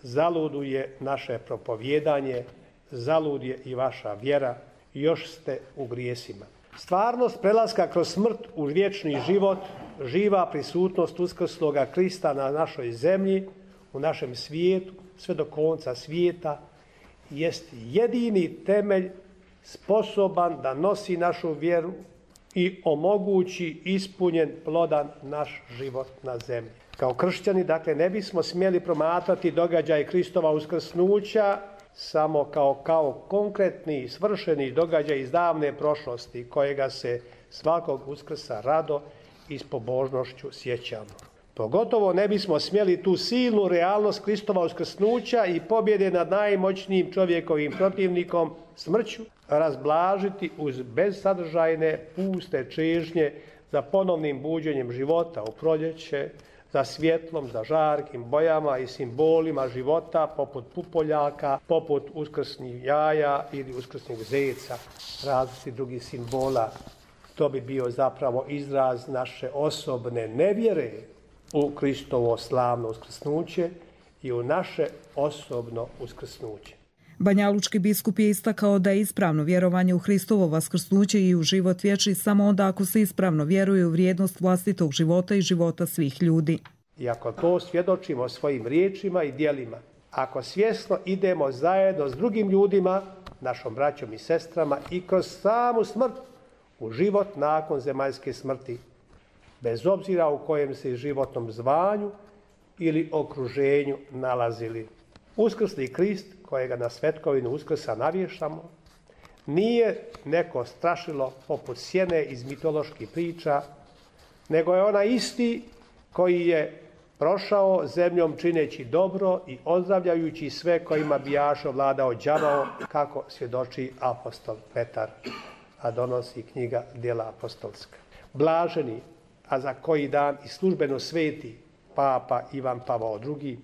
zaluduje naše propovjedanje, zalud je i vaša vjera, još ste u grijesima. Stvarnost prelaska kroz smrt u vječni život, živa prisutnost uskrsloga Krista na našoj zemlji, u našem svijetu, sve do konca svijeta, jest jedini temelj sposoban da nosi našu vjeru i omogući ispunjen plodan naš život na zemlji. Kao kršćani, dakle, ne bismo smjeli promatrati događaj Kristova uskrsnuća samo kao konkretni svršeni događaj iz davne prošlosti kojega se svakog Uskrsa rado i s pobožnošću sjećamo. Pogotovo ne bismo smjeli tu silnu realnost Kristova uskrsnuća i pobjede nad najmoćnijim čovjekovim protivnikom smrću razblažiti uz bezsadržajne, puste čežnje za ponovnim buđenjem života u proljeće, za svjetlom, za žarkim bojama i simbolima života poput pupoljaka, poput uskrsnih jaja ili uskrsnih zeca, različitih drugih simbola. To bi bio zapravo izraz naše osobne nevjere u Kristovo slavno uskrsnuće i u naše osobno uskrsnuće. Banjalučki biskup je istakao da je ispravno vjerovanje u Hristovo vaskrsnuće i u život vječni samo onda ako se ispravno vjeruje u vrijednost vlastitog života i života svih ljudi. I ako to svjedočimo svojim riječima i djelima, ako svjesno idemo zajedno s drugim ljudima, našom braćom i sestrama i kroz samu smrt u život nakon zemaljske smrti, bez obzira u kojem se životnom zvanju ili okruženju nalazili. Uskrsli Krist, kojega na svetkovinu Uskrsa navješamo, nije neko strašilo poput sjene iz mitoloških priča, nego je ona isti koji je prošao zemljom čineći dobro i ozdravljajući sve kojima bijaše vladao đavao, kako svjedoči apostol Petar, a donosi knjiga Djela apostolska. Blaženi, a za koji dan i službeno sveti papa Ivan Pavao II,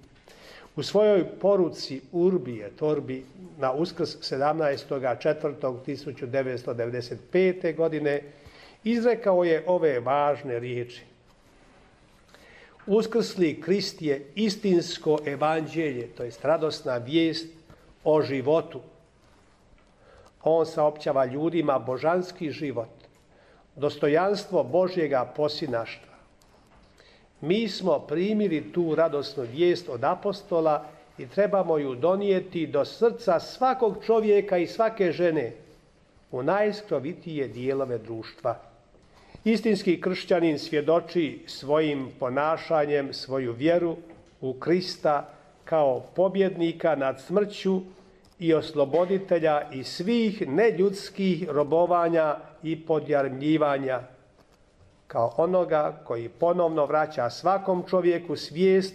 u svojoj poruci Urbi et Orbi na Uskrs 17.4.1995. godine izrekao je ove važne riječi. Uskrsli Krist je istinsko evanđelje, to jest radosna vijest o životu. On saopćava ljudima božanski život, dostojanstvo Božjega posinaštva. Mi smo primili tu radosnu vijest od apostola i trebamo ju donijeti do srca svakog čovjeka i svake žene u najskrovitije dijelove društva. Istinski kršćanin svjedoči svojim ponašanjem svoju vjeru u Krista kao pobjednika nad smrću i osloboditelja i svih neljudskih robovanja i podjarmljivanja, kao onoga koji ponovno vraća svakom čovjeku svijest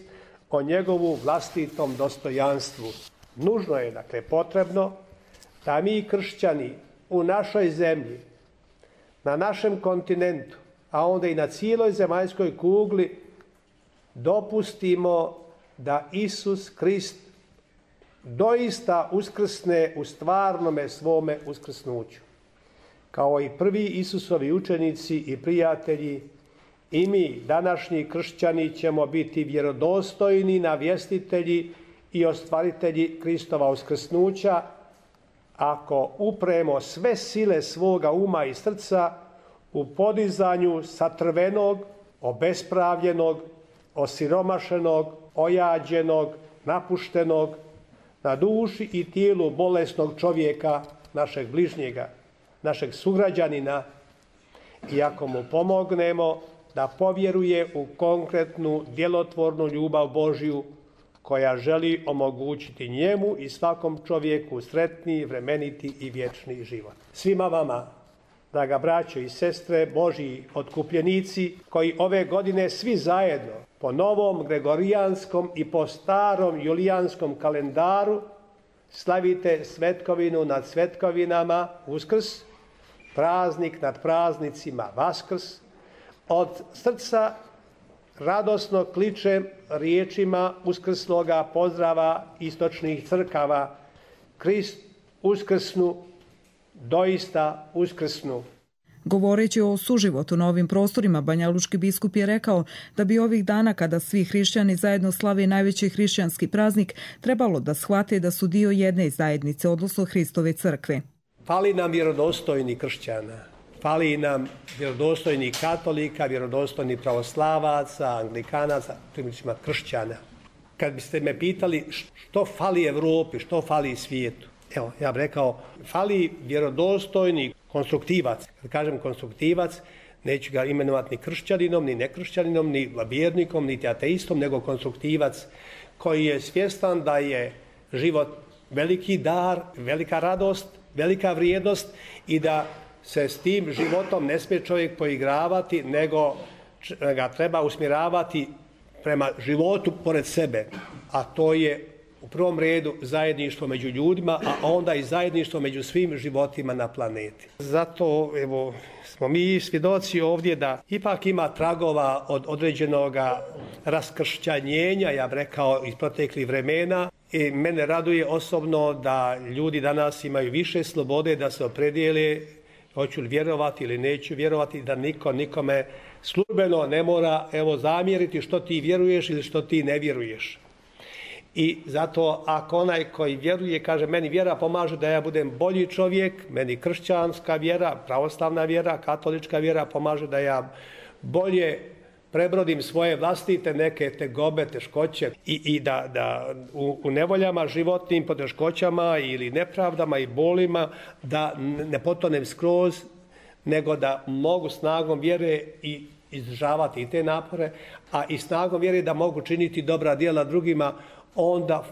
o njegovu vlastitom dostojanstvu. Nužno je, dakle, potrebno da mi kršćani u našoj zemlji, na našem kontinentu, a onda i na cijeloj zemaljskoj kugli dopustimo da Isus Krist doista uskrsne u stvarnome svome uskrsnuću. Kao i prvi Isusovi učenici i prijatelji, i mi, današnji kršćani, ćemo biti vjerodostojni navjestitelji i ostvaritelji Kristova uskrsnuća ako upremo sve sile svoga uma i srca u podizanju satrvenog, obespravljenog, osiromašenog, ojađenog, napuštenog, na duši i tijelu bolesnog čovjeka, našeg bližnjega, našeg sugrađanina, i ako mu pomognemo da povjeruje u konkretnu, djelotvornu ljubav Božju koja želi omogućiti njemu i svakom čovjeku sretni, vremeniti i vječni život. Svima vama, draga braćo i sestre, Božji otkupljenici, koji ove godine svi zajedno po novom gregorijanskom i po starom julijanskom kalendaru slavite svetkovinu nad svetkovinama, Uskrs, praznik nad praznicima, Vaskrs, od srca radosno kličem riječima uskrsloga pozdrava istočnih crkava: Krist uskrsnu, doista uskrsnu. Govoreći o suživotu na ovim prostorima, banjalučki biskup je rekao da bi ovih dana, kada svi hrišćani zajedno slave najveći hrišćanski praznik, trebalo da shvate da su dio jedne zajednice, odnosno Hristove crkve. Fali nam vjerodostojni kršćana, fali nam vjerodostojni katolika, vjerodostojni pravoslavaca, anglikanaca, primjećima kršćana. Kad biste me pitali što fali Evropi, što fali svijetu, evo, ja bih rekao, fali vjerodostojni konstruktivac. Kad kažem konstruktivac, neću ga imenovati ni kršćaninom, ni nekršćaninom, ni vjernikom, niti ateistom, nego konstruktivac koji je svjestan da je život veliki dar, velika radost, velika vrijednost i da se s tim životom ne smije čovjek poigravati, nego ga treba usmjeravati prema životu pored sebe, a to je u prvom redu zajedništvo među ljudima, a onda i zajedništvo među svim životima na planeti. Zato smo mi svjedoci ovdje da ipak ima tragova od određenog raskršćanjenja, ja bih rekao, iz proteklih vremena. I mene raduje osobno da ljudi danas imaju više slobode da se opredijele hoću li vjerovati ili neću vjerovati, da niko nikome službeno ne mora zamjeriti što ti vjeruješ ili što ti ne vjeruješ. I zato ako onaj koji vjeruje kaže meni vjera pomaže da ja budem bolji čovjek, meni kršćanska vjera, pravoslavna vjera, katolička vjera pomaže da ja bolje prebrodim svoje vlastite neke tegobe, teškoće i da u nevoljama, životnim poteškoćama ili nepravdama i bolima da ne potonem skroz, nego da mogu snagom vjere i izdržavati i te napore, a i snagom vjere da mogu činiti dobra djela drugima, onda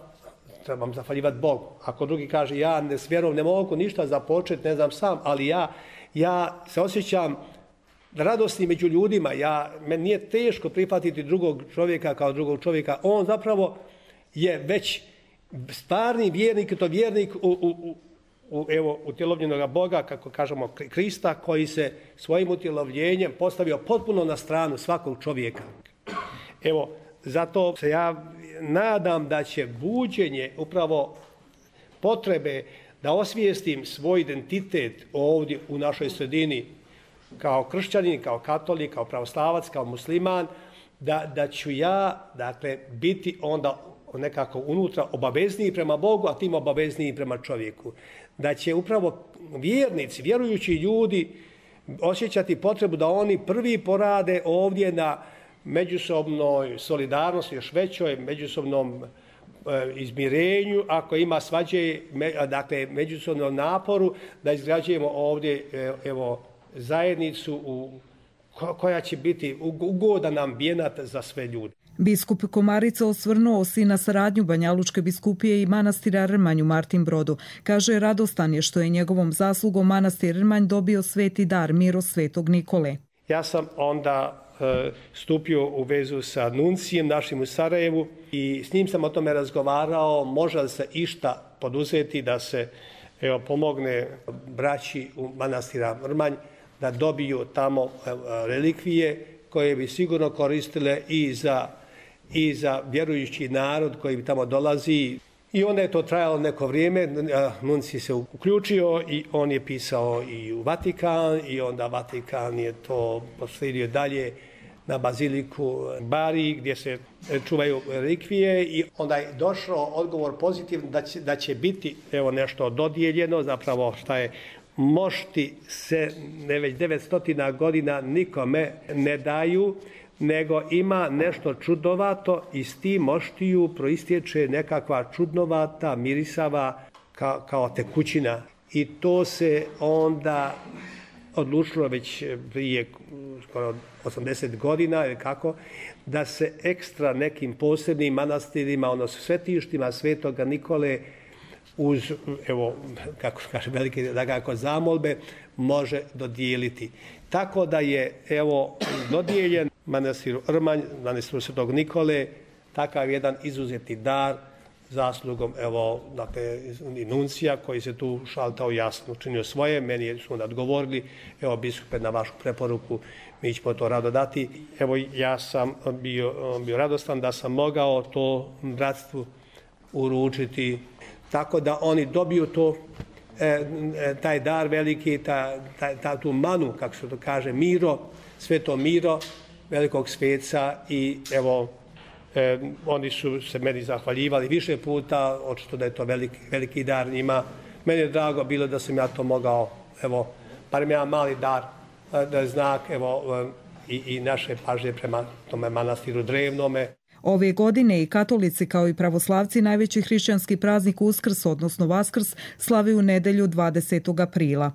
trebam zahvaljivati Bogu. Ako drugi kaže ja s vjerom ne mogu ništa započeti, ne znam sam, ali ja se osjećam radosni među ljudima, meni nije teško prihvatiti drugog čovjeka kao drugog čovjeka. On zapravo je već stvarni vjernik i to vjernik u utjelovljenog Boga, kako kažemo Krista, koji se svojim utjelovljenjem postavio potpuno na stranu svakog čovjeka. Zato se ja nadam da će buđenje upravo potrebe da osvijestim svoj identitet ovdje u našoj sredini kao kršćanin, kao katolik, kao pravoslavac, kao musliman, da ću ja biti onda nekako unutra obavezniji prema Bogu, a tim obavezniji prema čovjeku. Da će upravo vjernici, vjerujući ljudi osjećati potrebu da oni prvi porade ovdje na međusobnoj solidarnosti, još većoj međusobnom izmirenju, ako ima svađe, međusobnom naporu, da izgrađujemo ovdje zajednicu koja će biti ugodan ambijent za sve ljude. Biskup Komarica osvrnuo se na saradnju Banjalučke biskupije i manastira Rmanj u Martin Brodu. Kaže, radostan je što je njegovom zaslugom manastir Rmanj dobio sveti dar Miro Svetog Nikole. Ja sam onda stupio u vezu sa nuncijem našim u Sarajevu i s njim sam o tome razgovarao, može li se išta poduzeti da se pomogne braći u manastira Rmanj da dobiju tamo relikvije koje bi sigurno koristile i za vjerujući narod koji bi tamo dolazi. I onda je to trajalo neko vrijeme, nunci se uključio i on je pisao i u Vatikan i onda Vatikan je to proslijedio dalje na baziliku Bari gdje se čuvaju relikvije i onda je došao odgovor pozitivno da će biti nešto dodijeljeno, zapravo šta je mošti se već 900 godina nikome ne daju, nego ima nešto čudnovato i s tim moštiju proistječe nekakva čudnovata, mirisava kao tekućina. I to se onda odlučilo već prije skoro 80 godina ili kako, da se ekstra nekim posebnim manastirima, odnosno svetištima Svetoga Nikole uz, kako kaže velike zamolbe, može dodijeliti. Tako da je, dodijeljen manastiru Rmanj, manastiru Svetog Nikole, takav jedan izuzeti dar zaslugom, i nuncija koji se tu šaltao jasno, učinio svoje, meni su onda odgovorili, biskupe, na vašu preporuku, mi ćemo to rado dati. Ja sam bio radostan da sam mogao to bratstvu uručiti, tako da oni dobiju to, taj dar veliki, tu manu, kako se to kaže, Miro, Sveto Miro, velikog sveca i oni su se meni zahvaljivali više puta, očito da je to veliki dar njima. Meni je drago bilo da sam ja to mogao, barem jedan mali dar, da je znak i naše pažnje prema tome manastiru drevnome. Ove godine i katolici kao i pravoslavci najveći hrišćanski praznik Uskrs, odnosno Vaskrs, slave u nedelju 20. aprila.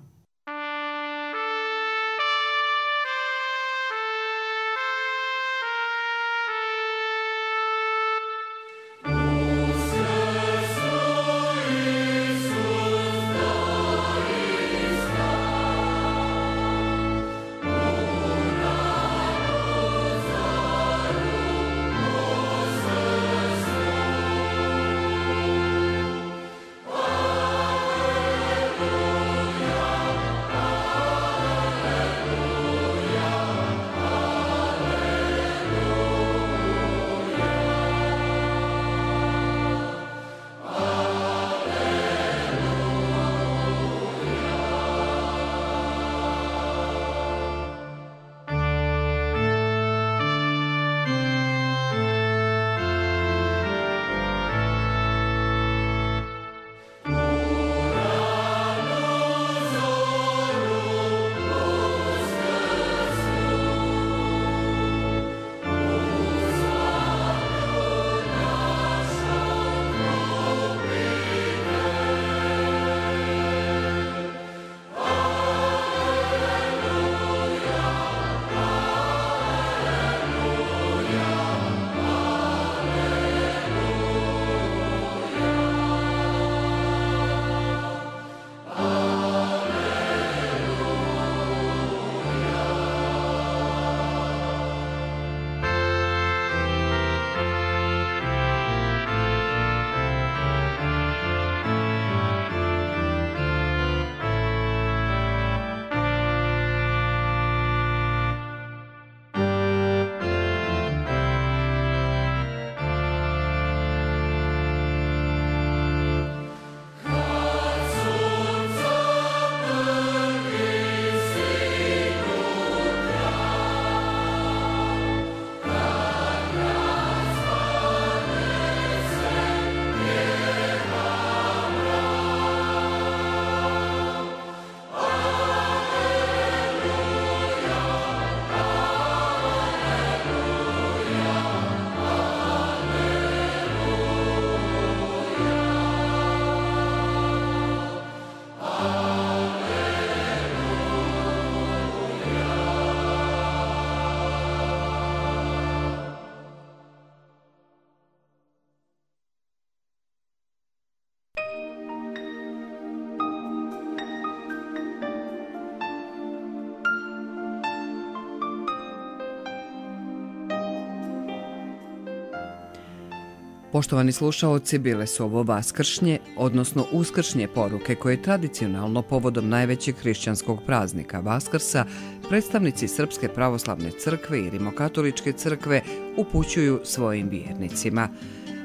Poštovani slušaoci, bile su ovo vaskršnje, odnosno uskršnje poruke koje tradicionalno povodom najvećeg hrišćanskog praznika Vaskrsa predstavnici Srpske pravoslavne crkve i Rimokatoličke crkve upućuju svojim vjernicima.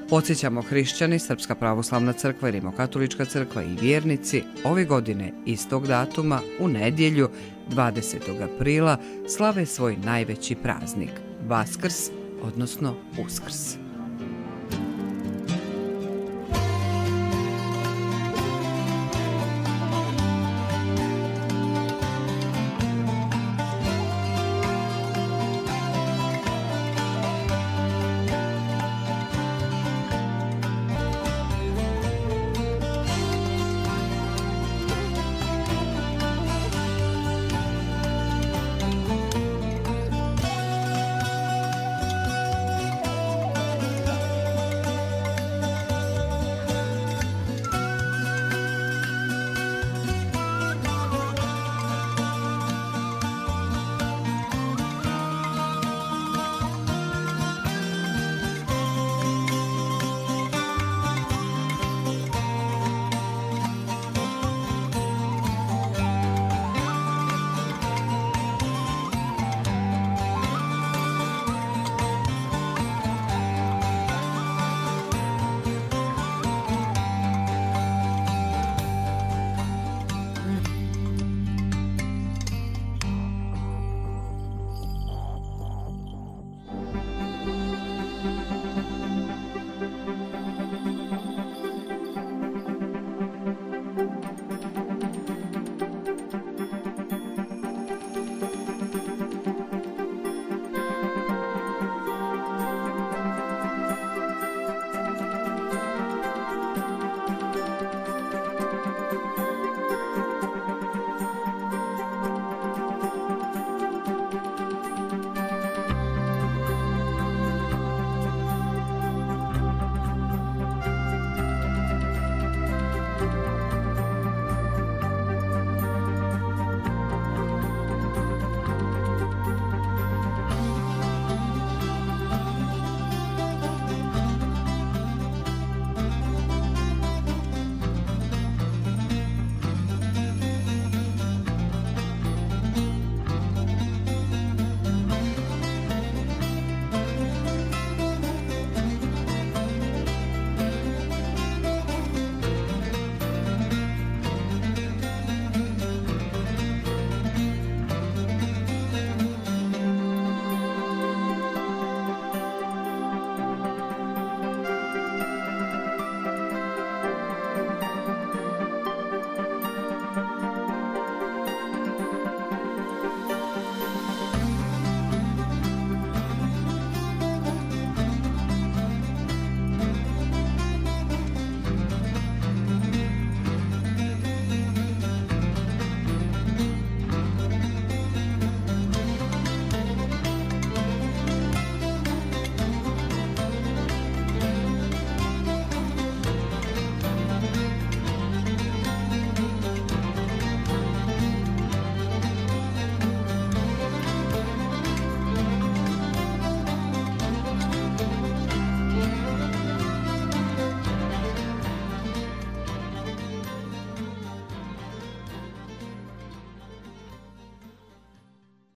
Podsjećamo, hrišćani, Srpska pravoslavna crkva i Rimokatolička crkva i vjernici ove godine istog datuma u nedjelju 20. aprila slave svoj najveći praznik, Vaskrs, odnosno Uskrs.